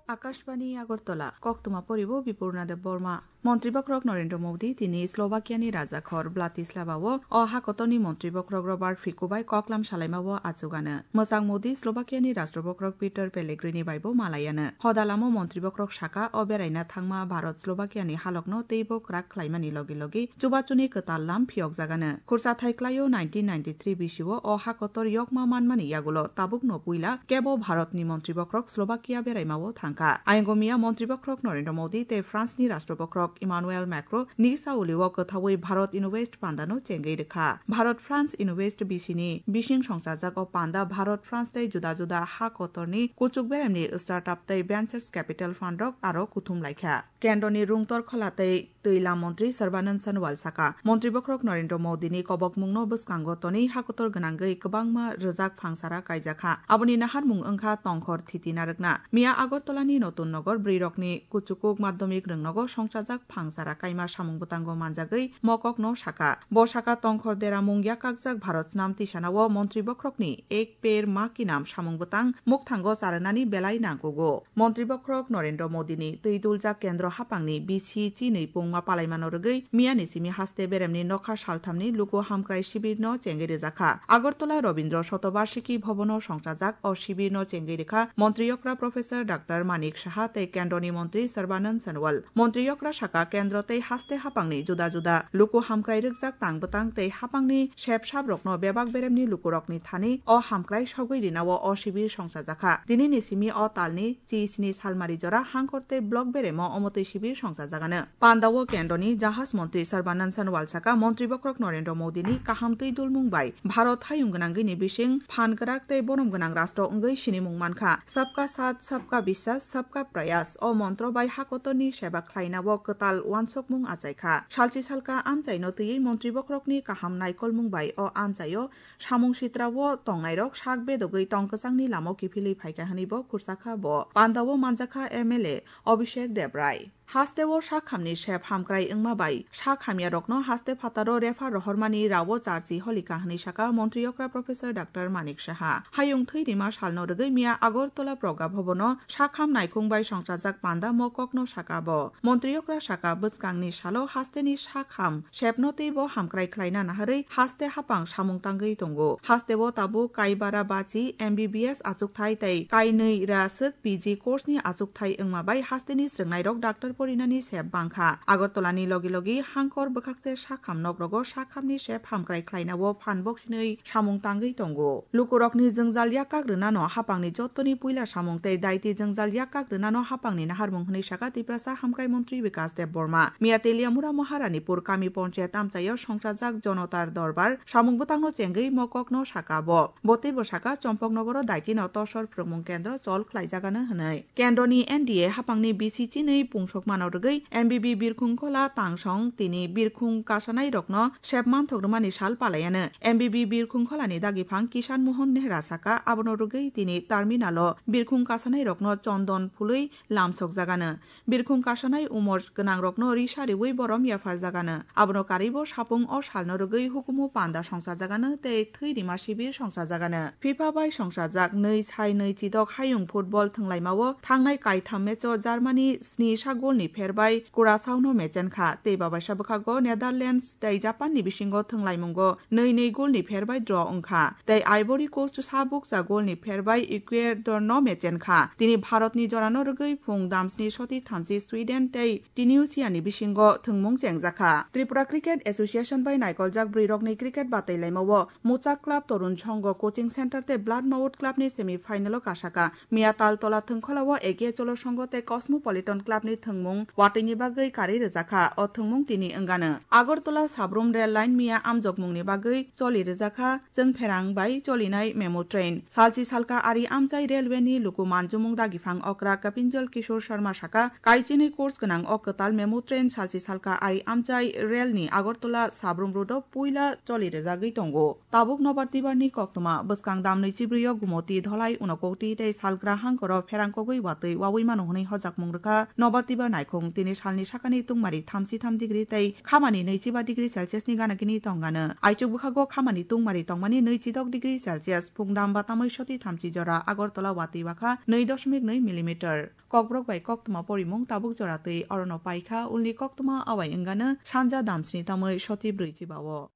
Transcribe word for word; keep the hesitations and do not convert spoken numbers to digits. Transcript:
Akashbani Agartala, koktwma poribo Bipurna Debbarma. Montri bokrok Narendra Modi tini Slovakia ni rajakhor Bratislava o o hakotorni montri bokrok Robert Fico bai koklam salaima o achugano. Mwchang Modi Slovakia ni rashtra bokrok Peter Pellegrini bai bo malayano. Hodalamo montri bokrok saka o beraina thangma Bharat Slovakia ni halokno teibo kwrak khlaimani logi logi chubachuni kwtal lam phiyokjagano. Khursa thai klaio nineteen ninety-three bisio o hakotor yokma manmani yagulo tabukno puila kebo Bharatni montri bokrok Slovakia beraima o thangkha. Ayongo miya montri bokrok Narendra Modi tei France ni rashtra bokrok Emmanuel Macron ni sauli o kwthawi Bharat Invest pandano chengwi rwkha. Bharat France Invest bisini bising songchajak o panda Bharat France tei juda juda ha kotorni kuchuk beremni startup tei ventures capital fund rok aro kuthum laikha. Kendroni rungtor khola tei twi lam montri Sarbanand Sonowal saka, montri bokhorok Narendra Modi ni kobokmung no bwskango tonwi hakotor gwnangwi kwbangma rwjak phangsara kaijakha. Aboni naharmung wngkha tongkhor thiti narwkna. Miya Agartala ni Notun Nogor bwrwi rokni kuchukuk madhyamik rwngnogo songchajak phangsara kaima samung bwtango manjagwi mokok no saka. Bo saka tongkhor deramung yakakjak Bharat snam tisanao montri bokhorokni Ek Ped Ma Ki Naam samung bwtang mukthango charwnani belai nangkugo. Montri bokhorok Narendra Modi ni twi duljak kendro haphangni bisi chinwi pungma palaimano rwgwi miyani simi haste beremni nokha salthamni luku hamkrai shibirno chengwi rwjakha. Agartala Rabindra Shatobarshiki Bhavan o songchajak o shibirno chengwi rwkha montri okra Professor Doctor Manik Saha tei kendroni montri Sarbanand Sonowal. Montri okra saka kendro tei haste haphangni juda juda luku hamkrai rwkjak tang bwtang tei haphangni sep sap rokno bebak beremni lukurokni thani o hamkrai sogwi rinao o shibir songchajakha. Tinini simi o talni chi sini salmari jora hangkor tei block beremo omotwi shibir songchajagano. Pandao kendroni jahaj montri Sarbanand Sonowal saka montri bokhorok Narendra Modi ni kaham twi dulmung bai Bharat hayung gwnangwi ni bising phan kwrak tei borom gwnang rastro wngwi sinimung mankha. Sabka Saath, Sabka Biswas, Sabka Prayas o montro bai hakotorni seba khlainao kwtal uansukmung achaikha. Salchi salka amchaino twiwi montri bokhorokni kaham naikolmung bai o amchaio samung sitrao tongnairok sak bedogwi tong kwchangni lamao kiphilwi phaikha hwnwibo khursakha bo. Pandao manjakha M L A Abhishek Debrai. Hasteo sak hamni sep hamkrai wngma bai sak hamyarokno haste phataro refer rohormani rao charchi holikha hwnwi saka montri okra Professor Doctor Manik Saha. Hayung thwi rima salno rwgwi miya Agartala Pragya Bhavan o sak ham naikhung bai songchajak panda mokokno saka bo. Montri okra saka bwskangni salo hasteni sak ham sepno teibo hamkrai khlaina naharwi haste haphang samung tangwi tongo. Hasteo tabuk Kaibara Bachi M B B S achukthai tei kainwi ra swk P G course ni achukthai wngma bai hasteni srwngnairok doctor porinani sep bangkha. Agartala ni logi logi hangkor bwkhakse sakham nokrogo sakhamni sep hamkrai khlainao phan boksinwi samung tangwi tongo. Lukurokni jwngjal yakak rwnano haphangni jottoni puila samung tei daiti jwngjal yakak rwnano haphangni naharmung hwnwi saka Tiprasa Hamkrai Montri Bikas Debbarma. Miya Teliamura Maharanipur kami ponchayat amchaio songchajak Jonotar Dorbar samung bwtangno chengwi mokokno saka bo. Bo teibo saka Chompoknogoro daitino tosor phwrwngmung kendro chol khlaijagano hwnwi. Kendroni N D A haphangni bisi chinwi pungsokmano rwgwi M B B Birkhung Khola Tangsong tini birkhung kasanairokno sep manthok rwmani sal palaiano. M B B Birkhung Kholani dagiphang Kishan Mohan Nehra saka abono rwgwi tini terminalo birkhung kasanairokno chondon phulwi lamsokjagano. Birkhung kasanai umor gwnangrokno risa riwi borom yapharjagano. Abono karwibo sapung o salno rwgwi hukumu panda songchajagano tei thwi rima sibir songchajagano. FIFA bai songchajak nwi sai nwi chidok hayung football thwnglaimao thangnai kaitham matcho Germany sni sa golni pherbai Curaçaono mechenkha tei babaisa bwkhago Netherlands tei Japanni bisingo thwnglaimungo nwi nwi golni pherbai draw wngkha tei Ivory Coast sabukcha golni pherbai Ecuadorno mechenkha. Tini Bharatni jorano rwgwi phung damsni soti thamchi Sweden tei Tunisiani bisingo thwngmung chengjakha. Tripura Cricket Association bai naikoljak bwrwirokni cricket batailaimao Muchak Club Torun Songho Coaching Center tei Blood Mouth Clubni semi finalo kasaka. Miya Taltola thwngkholao A K Cholo Songho tei Cosmopolitan Clubni thwngmung watwini bagwi karwi rwjakha. O thwngmung tini wngano. Agartala Sabrum Rail Line miya amjokmungni bagwi choli rwjakha. Chwngpherang bai cholinai memo train. Salchi salka ari amchai railway ni luku manjumung dagiphang okra Kapinjal Kishore Sharma saka, kaichinwi course gwnang o kwtal memo train salchi salka ari amchai rail ni Agartala Sabrum road o puila choli rwjagwi tongo. Tabuk nobar tibar ni koktwma bwskang damnwi chibrwi o Gumoti Dholai Unakoti tei Salgra hangkoro pherang kogwi watwi wawi mano hwnwi hojakmung rwkha nobar tibar Naikhung tini salni sakani tungmari thamchi tham degree tei khamani nwichi ba degree Celsius ni gana gini tongano. Aichuk bwkhago khamani tungmari tongmani nwichi dok degree Celsius, phungdam ba tamoi soti thamchi jora, Agartala watwi wakha nwi dosmik nwi millimeter. Kokborok bai koktwma porimung tabuk jora twi orono paikha, ulni koktwma awai wngano sanja damsni tamoi soti brwichi bao.